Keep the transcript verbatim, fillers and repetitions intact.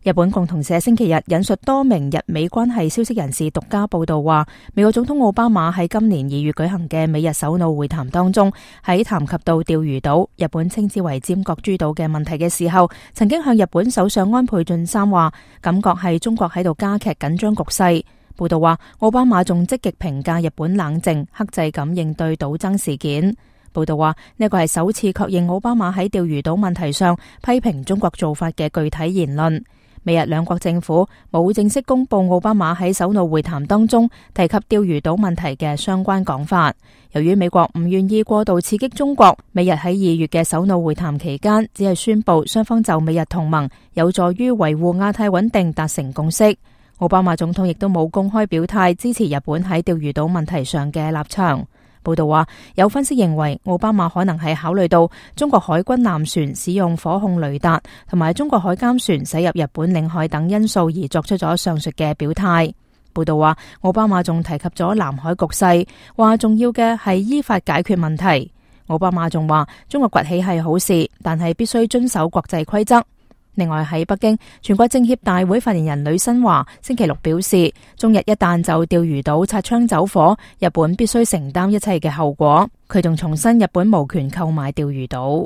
日本共同社星期日引述多名日美關係消息人士獨家報道話，美國總統奧巴馬喺今年二月舉行嘅美日首腦會談當中，喺談及到釣魚島，日本稱之為尖閣諸島嘅問題嘅時候，曾經向日本首相安倍晉三話，感覺係中國喺度加劇緊張局勢。報道話，奧巴馬仲積極評價日本冷靜克制咁應對島爭事件。報道話，呢個係首次確認奧巴馬喺釣魚島問題上批評中國做法嘅具體言論。美日兩國政府冇正式公布奧巴馬喺首腦會談當中提及釣魚島問題嘅相關講法。由於美國唔願意過度刺激中國，美日喺二月嘅首腦會談期間，只係宣布雙方就美日同盟有助於維護亞太穩定達成共識。奧巴馬總統亦都冇公開表態支持日本喺釣魚島問題上嘅立場。報道話，有分析認為奧巴馬可能係考慮到中國海軍艦船使用火控雷達同埋中國海監船駛入日本領海等因素而作出咗上述嘅表態。報道話，奧巴馬仲提及咗南海局勢，話重要嘅係依法解決問題。奧巴馬仲話，中國崛起係好事，但係必須遵守國際規則。另外喺北京，全國政協大會發言人呂新華星期六表示，中日一旦就釣魚島擦槍走火，日本必須承擔一切嘅後果。佢仲重申日本無權購買釣魚島。